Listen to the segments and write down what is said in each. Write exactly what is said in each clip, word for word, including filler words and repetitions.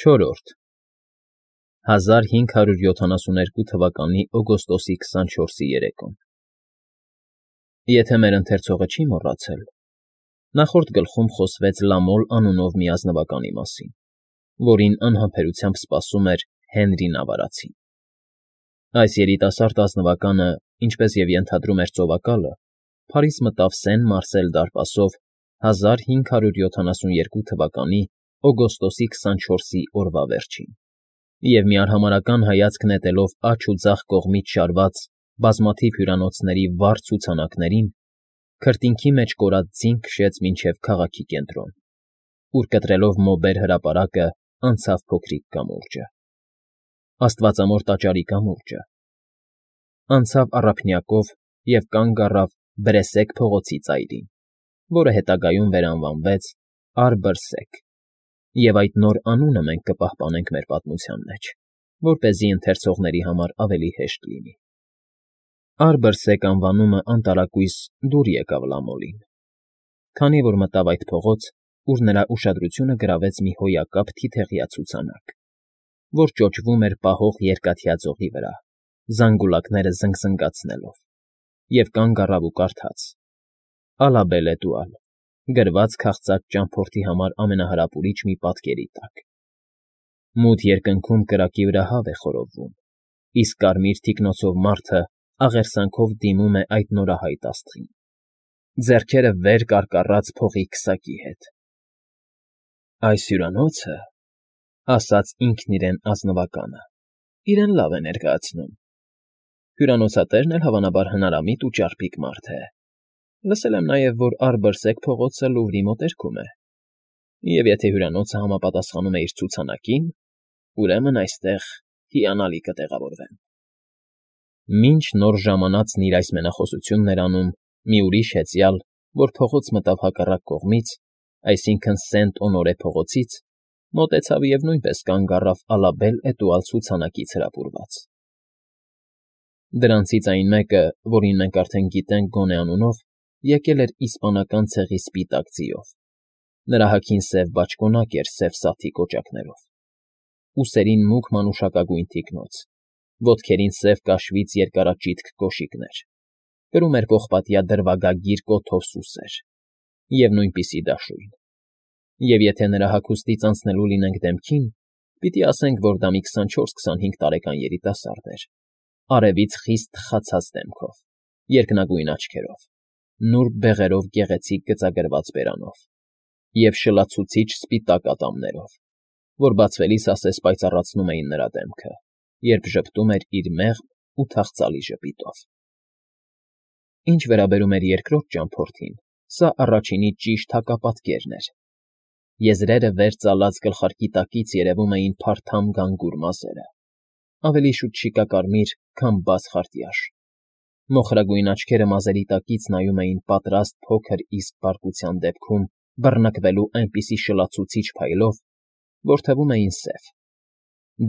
Չորրորդ հազար հինգ հարյուր յոթանասուներկու թվականի օգոստոսի քսանչորսի երեկոն Եթե մեր ընթերցողը չի մոռացել, նախորդ գլխում խոսվեց Լամոլ անունով մի ազնվականի մասին, որին անհամբերությամբ սպասում էր Հենրի Նավարացին։ Այս երիտասարդ ազնվականը, ինչպես և ենթադրում էր ծովակալը, Փարիզ մտավ Սեն Մարսել դարպասով հազար հինգ հարյուր յոթանասուներկու թվականի օգոստոսի քսանչորսի օրվա վերջին, և մի արհամարհական հայացք նետելով աջ ու ձախ կողմից շարված բազմաթիվ հյուրանոցների վառ ցուցանակներին, քրտինքի մեջ կորած ձին քշեց մինչև քաղաքի կենտրոն, ուր կտրելով մոբեր հրապարակը անցավ փոքրիկ կամուրջը, աստվածամոր տաճարի կամուրջը, անցավ առափնյակով և կանգ առավ Բրեսեկ փողոցի ծայրին, որը հետագայում վերանվանվեց Արբըրսեք, և այդ նոր անունը մենք կպահպանենք մեր պատմության մեջ, որպեսզի ընթերցողների համար ավելի հեշտ լինի։ Արբըրսեք անվանումը անտարակույս դուր եկավ Լամոլին, քանի որ մտավ այդ փողոց, ուր նրա ուշադրությունը գրավեց մի հոյակապ թիթեղյա ցուցանակ, որ ճոճվում էր պահող երկաթյա ձողի վրա, զանգուլակները զնգզնգացնելով, և կանգ առավ ու կարդաց. «Ա լա բել էտուալ», գրված քաղցած ճամփորդի համար ամենահրապուրիչ մի պատկերի տակ։ Մութ երկնքում կրակի վրա հավ է խորովվում, իսկ կարմիր թիկնոցով մարդը աղերսանքով դիմում է այդ նորահայտ աստղին, ձեռքերը վեր կարկառած փողի քսակի հետ։ «Այս հյուրանոցը,֊ ասաց ինքն իրեն ազնվականը,֊ իրեն լավ է ներկայացնում։ Հյուրանոցատերն էլ հավանաբար հնարամիտ ու ճարպիկ մարդ է։ Լսել եմ նաև, որ Արբըրսեք փողոցը Լուվրի մոտերքում է, և եթե հյուրանոցը համապատասխանում է իր ցուցանակին, ուրեմն այստեղ հիանալի կտեղավորվեմ»։ Մինչ նոր ժամանածն իր այս մենախոսությունն էր անում, մի ուրիշ հեծյալ, որ փողոց մտավ հակառակ կողմից, այսինքն Սենտ Օնորե փողոցից, մոտեցավ և նույնպես կանգ առավ Ալաբել էտուալ ցուցանակից հրապուրված։ Դրանցից այն մեկը, որին մենք արդեն գիտենք գոնե անունով, եկել էր իսպանական ցեղի սպիտակ ձիով, նրա հագին սև բաճկոնակ էր սև սաթի կոճակներով, ուսերին մուգ մանուշակագույն թիկնոց, ոտքերին սև կաշվից երկարաճիտ կոշիկներ, կրում էր պողպատյա դրվագագիր կոթով սուսեր և նույնպիսի դաշույն, և եթե նրա հագուստից անցնելու լինենք դեմքին, պիտի ասենք, որ դա մի քսանչորս֊քսանհինգ տարեկան երիտասարդ էր, արևից խիստ թխացած դեմքով, երկնագույն աչքերով, նուրբ բեղերով գեղեցիկ գծագրված բերանով և շլացուցիչ սպիտակ ատամներով, որ բացվելիս ասես պայծառացնում էին նրա դեմքը, երբ ժպտում էր իր մեղմ ու թախծալի ժպիտով։ Ինչ վերաբերում էր երկրորդ ճամփորդին, սա առաջինից ճիշտ հակապատկերն էր. եզրերը վեր ծալած գլխարկի տակից երևում էին փարթամ գանգուր մազերը, ավելի շուտ շիկակարմիր, քան բաց խարտյաշ, մոխրագույն աչքերը մազերի տակից նայում էին պատրաստ փոքր իսկ բարկության դեպքում բռնկվելու այնպիսի շլացուցիչ փայլով, որ թվում էին սև,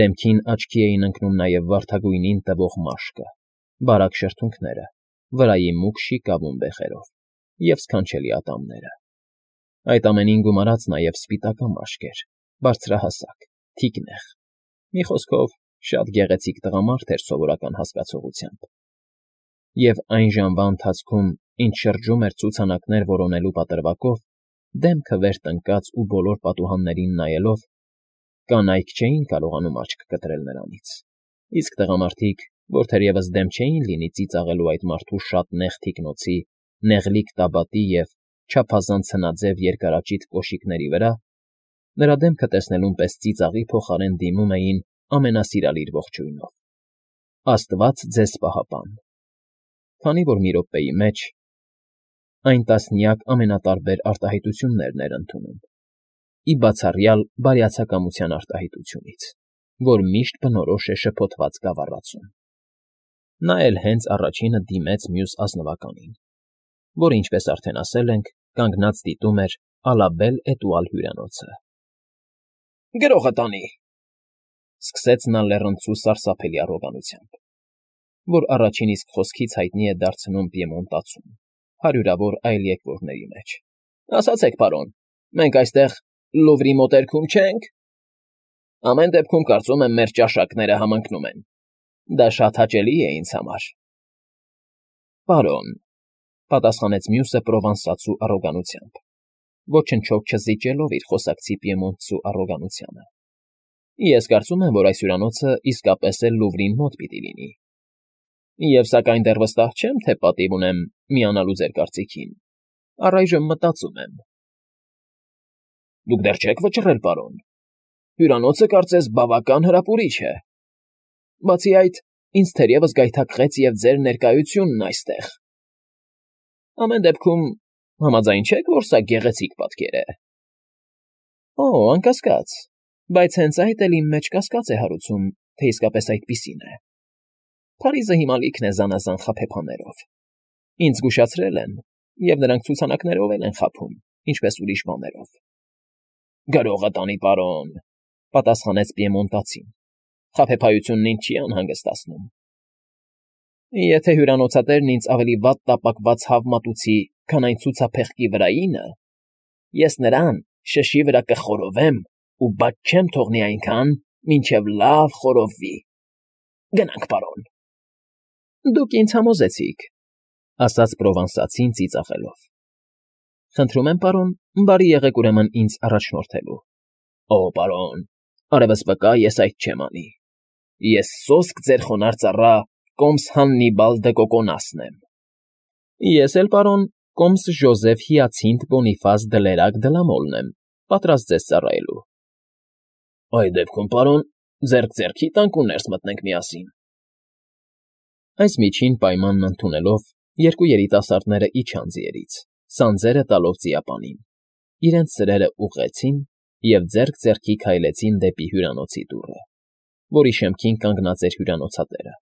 դեմքին աչքի էին ընկնում նաև վարդագույնին տվող մաշկը, բարակ շրթունքները, վրայի մուգ շիկավուն բեղերով և սքանչելի ատամները, այդ ամենին գումարած նաև սպիտակամաշկ էր, բարձրահասակ, թիկնեղ, մի խոսքով, շատ գեղեցիկ տղամարդ էր սովորական հասկացողությամբ, և այն ժամվա ընթացքում, ինչ շրջում էր ցուցանակներ որոնելու պատրվակով, դեմքը վեր տնկած ու բոլոր պատուհաններին նայելով, կանայք չէին կարողանում աչք կտրել նրանից, իսկ տղամարդիկ, որ թերևս դեմ չէին լինի ծիծաղելու այդ մարդու շատ նեղ թիկնոցի, նեղլիկ տաբատի և չափազանց հնաձև երկարաճիտ կոշիկների վրա, նրա դեմքը տեսնելուն պես ծիծաղի փոխարեն դիմում էին ամենասիրալիր ողջույնով. «Աստված ձեզ պահապան», քանի որ մի րոպեի մեջ այն տասնյակ ամենատարբեր արտահայտություններն էր ընդունում, ի բացառյալ բարյացակամության արտահայտությունից, որ միշտ բնորոշ է շփոթված գավառածուն։ Նա էլ հենց առաջինը դիմեց մյուս ազնվականին, որը, ինչպես արդեն ասել ենք, կանգնած դիտում էր Ալաբել էտուալ հյուրանոցը։ ֊ Գրողը տանի,֊ սկսեց նա լեռնցու սարսափելի առոգանությամբ, որ առաջին իսկ խոսքից հայտնի է դարձնում պիեմոնտացուն, հարյուրավոր այլ եկվորների մեջ։ ֊ Ասացեք, պարոն, մենք այստեղ Լուվրի մոտերքո՞ւմ չենք։ Ամեն դեպքում կարծում եմ մեր ճաշակները համընկնում են։ Դա շատ հաճելի է ինձ համար։ Պարոն, պատասխանեց մյուսը պրովանսացու առոգանությամբ, ոչնչով չզիջելով իր խոսակցի պիեմոնտցու առոգանությանը։ Ես կարծում եմ, որ այս հյուրանոցը իսկապես էլ Լուվրին մոտ պիտի լինի։ Եվ սակայն դեռ վստահ չեմ, թե պատիվ ունեմ միանալու ձեր կարծիքին։ Առայժմ մտածում եմ։ Դուք դեռ չեք վճռել, պարոն։ Հյուրանոցը կարծես բավական հրապուրիչ է։ Բացի այդ, ինձ թերևս գայթակղեց և ձեր ներկայությունն այստեղ։ Ամեն դեպքում համաձայն չեք, որ սա գեղեցիկ պատկեր է։ Օ, անկասկած, բայց հենց այդ էլ իմ մեջ կասկած է հարուցում, թե իսկապես այդպիսին է։ Փարիզը հիմա լիքն է զանազան խաբեբաներով։ Ինձ զգուշացրել են, և նրանք ցուցանակներով էլ են խաբում, ինչպես ուրիշ բաներով։ Գրողը տանի, պարոն, պատասխանեց պիեմոնտացին։ Խաբեբայությունն ինձ չի անհանգստացնում։ Եթե հյուրանոցատերն ինձ ավելի վատ տապակված հավ մատուցի, քան այն ցուցափեղկի վրայինը, ես նրան շշի վրա կխորովեմ ու բաց չեմ թողնի այնքան, մինչև լավ խորովվի։ Գնանք, պարոն։ Դուք ինձ համոզեցիք, ասաց պրովանսացին ծիծաղելով։ Խնդրում եմ, պարոն, բարի եղեք ուրեմն ինձ առաջնորդելու։ Օ, պարոն, արևս վկա, ես այդ չեմ անի։ Ես սոսկ ձեր խոնարհ ծառա Կոմս Հաննիբալ դը Կոկոնասն եմ։ Ես էլ, պարոն, Կոմս Ժոզեֆ Հիացինթ Բոնիֆաս Դլերակ Դլամոլն եմ, պատրաստ ձեզ ծառայելու։ Այդ դեպքում, պարոն, ձեռք ձեռքի տանք ու ներս մտնենք միասին։ Այս միջին պայմանն ընդունելով, երկու երիտասարդները իջան ձիերից, սանձերը տալով ծիապանին, իրենց սրերը ուղղեցին և ձեռք ձեռքի քայլեցին դեպի հյուրանոցի դուռը, որի շեմքին կանգնած էր հյուրանոցատերը։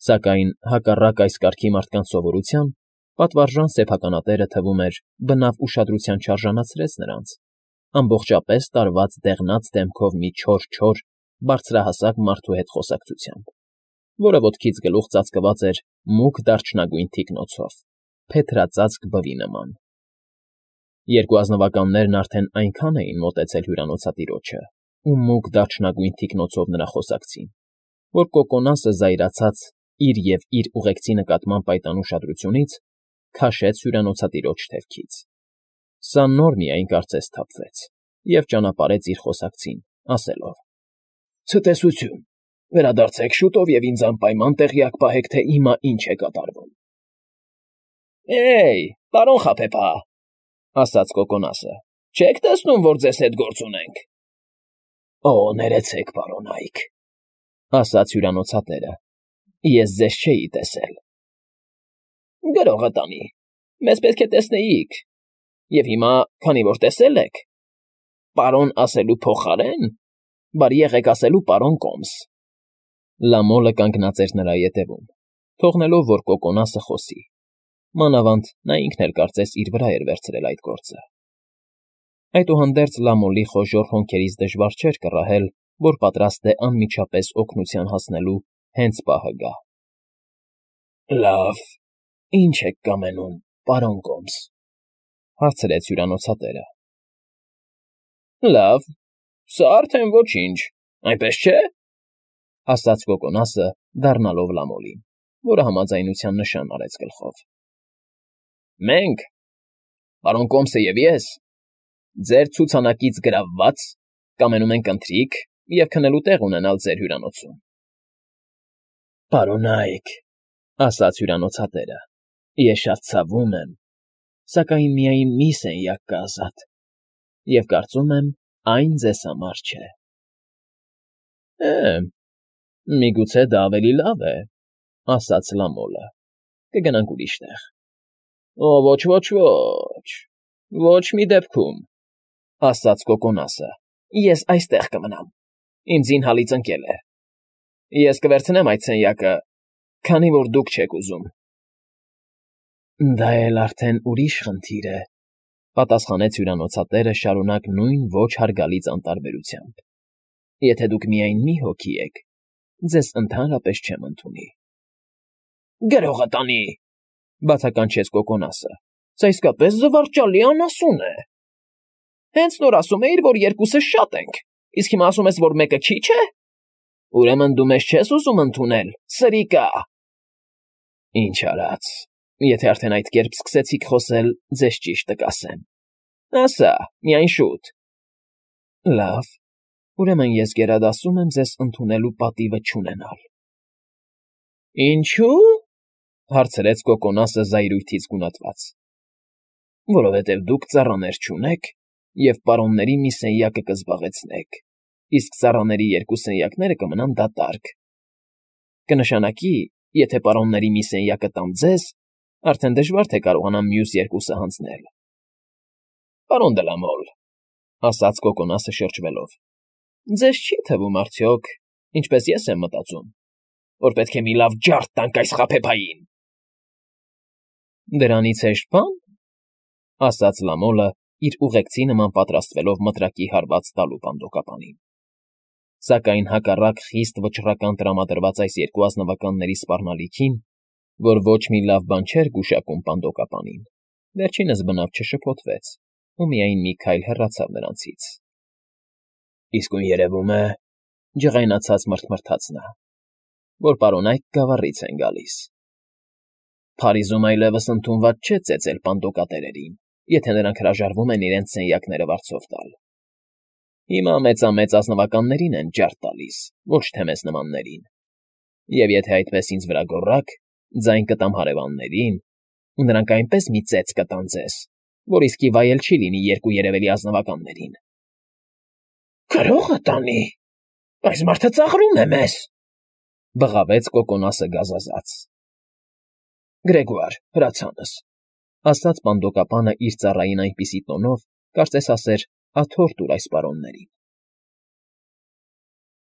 Սակայն, հակառակ այս կարգի մարդկանց սովորության, պատվարժան սեփականատերը թվում էր բնավ ուշադրության չարժանացրեց նրանց, ամբողջապես տարված դեղնած դեմքով մի չոր-չոր, բարձրահասակ մարդու հետ խոսակցությամբ, որը ոտքից գլուխ ծածկված էր մուգ դարչնագույն թիկնոցով, փեթրածածկ բվի նման։ Երկու ազնվականներն արդեն այնքան էին մոտեցել հյուրանոցատիրոջը ու մուգ դարչնագույն թիկնոցով նրա խոսակցին, որ Կոկոնասը զայրացած իր և իր ուղեկցի նկատմամբ այդ անուշադրությունից քաշեց հյուրանոցատիրոջ թևքից։ Սա նոր միայն կարծես սթափվեց և ճանապարհեց իր խոսակցին, ասելով. Ցտեսություն, վերադարձեք շուտով և ինձ անպայման տեղյակ պահեք, թե հիմա ինչ է կատարվում։ Էյ, պարոն խաբեբա, ասաց Կոկոնասը, չեք տեսնում, որ ձեզ հետ գործ ունենք։ Օ, ներեցեք, պարոն Այք, ասաց հյուրանոցատերը, ես ձեզ չէի տեսել։ Գրողը տանի, մեզ պետք է տեսնեիք, և հիմա, քանի որ տեսել եք, պարոն ասելու փոխարեն, բարի եղեք ասելու պարոն Կոմս։ Լամոլը կանգնած էր նրա ետևում, թողնելով, որ Կոկոնասը խոսի։ Մանավանդ նա ինքն էլ կարծես իր վրա էր վերցրել այդ գործը։ Այդուհանդերձ Լամոլի խոժոռ հոնքերից դժվար չէր կռահել, որ պատրաստ է անմիջապես օգնության հասնելու հենց պահը գա։ Լավ, ի՞նչ եք կամենում, պարոն Կոմս, հարցրեց հյուրանոցատերը։ Լավ, սա արդեն ոչինչ, այնպես չէ, ասաց Կոկոնասը, դառնալով Լամոլին, որը համաձայնության նշան արեց գլխով։ Մենք, պարոն Կոմսը և ես, ձեր ցուցանակից գրավված, կամենում ենք ընթրիք և քնելու տեղ ունենալ ձեր հյուրանոցում։ Պարոն Այք, ասաց հյուրանոցատերը, ես շատ ցավում եմ, սակայն միայն մի սենյակ կա ազատ, և կարծում եմ, այն ձեզ համար չէ։ Է, միգուցե դա ավելի լավ է, ասաց Լամոլը, կգնանք ուրիշ տեղ։ Օ, ոչ, ոչ, ոչ, ոչ մի դեպքում, ասաց Կոկոնասը, ես այստեղ կմնամ, իմ զինհալից ընկել է։ Ես կվերցնեմ այդ սենյակը, քանի որ դուք չեք ուզում։ Դա էլ արդեն ուրիշ խնդիր է, պատասխանեց հյուրանոցատերը շարունակ նույն ոչ հարգալից անտարբերությամբ։ Եթե դուք միայն մի հոգի եք, ձեզ ընդհանրապես չեմ ընդունի։ Գրողը տանի, բացականչեց Կոկոնասը, սա իսկապես զվարճալի անասուն է։ Հենց նոր ասում էիր, որ երկուսս շատ ենք, Իսկ հիմա ասում ես, որ մեկը քիչ է։ Ուրեմն դու մեզ չես ուզում ընդունել, սրիկա։ Ինչ արած, եթե արդեն այդ կերպ սկսեցիք խոսել, ձեզ ճիշտը կասեմ։ Ասա, միայն շուտ։ Լավ, ուրեմն ես գերադասում եմ ձեզ ընդունելու պատիվը չունենալ։ Ինչո՞ւ,֊ հարցրեց Կոկոնասը զայրույթից գունատված։ Որովհետև դուք ծառաներ չունեք և պարոնների մի սենյակը կզբաղեցնեք, իսկ ծառաների երկու սենյակները կմնան դատարկ։ Կնշանակի, եթե պարոնների մի սենյակը տամ ձեզ, արդեն դժվար թե կարողանամ մյուս երկուսը հանձնել։ Պարոն դե լա Մոլ,֊ ասաց Կոկոնասը շրջվելով,֊ ձեզ չի թվում արդյոք, ինչպես ես եմ մտածում, որ պետք է մի լավ ջարդ տանք այս խաբեբային։ Դրանից հեշտ բա՞ն,֊ ասաց Լամոլը, իր ուղեկցի նման պատրաստվելով մտրակի հարված տալու պանդոկապանին։ Սակայն հակառակ խիստ վճռական տրամադրված այս երկու ազնվականների սպառնալիքին, որ ոչ մի լավ բան չէր գուշակում պանդոկապանին, վերջինս բնավ չշփոթվեց ու միայն մի քայլ հեռացավ նրանցից։ Իսկույն երևում է,֊ ջղայնացած մռթմռթաց նա,֊ որ պարոն այդ գավառից են գալիս։ Փարիզում այլևս ընդունված չէ ծեծել պանդոկատերերին, եթե նրանք հրաժարվում են իրենց սենյակները վարձով տալ։ Հիմա մեծամեծ ազնվականներին են ջարդ տալիս, ոչ թե մեզ նմաններին։ Եվ եթե այդպես ինձ վրա գոռաք, ձայն կտամ հարևաններին, ու նրանք այնպես մի ծեծ կտան ձեզ, որ իսկի վայել չի լինի երկու երևելի ազնվականներին։ Գրո՞ղը տանի, այս մարդը ծաղրում է մեզ,֊ բղավեց Կոկոնասը գազազած։ Գրեգոար, հրացանս,֊ ասաց պանդոկապանը իր ծառային այնպիսի տոնով, կարծես ասեր, աթոռ տուր այս պարոններին։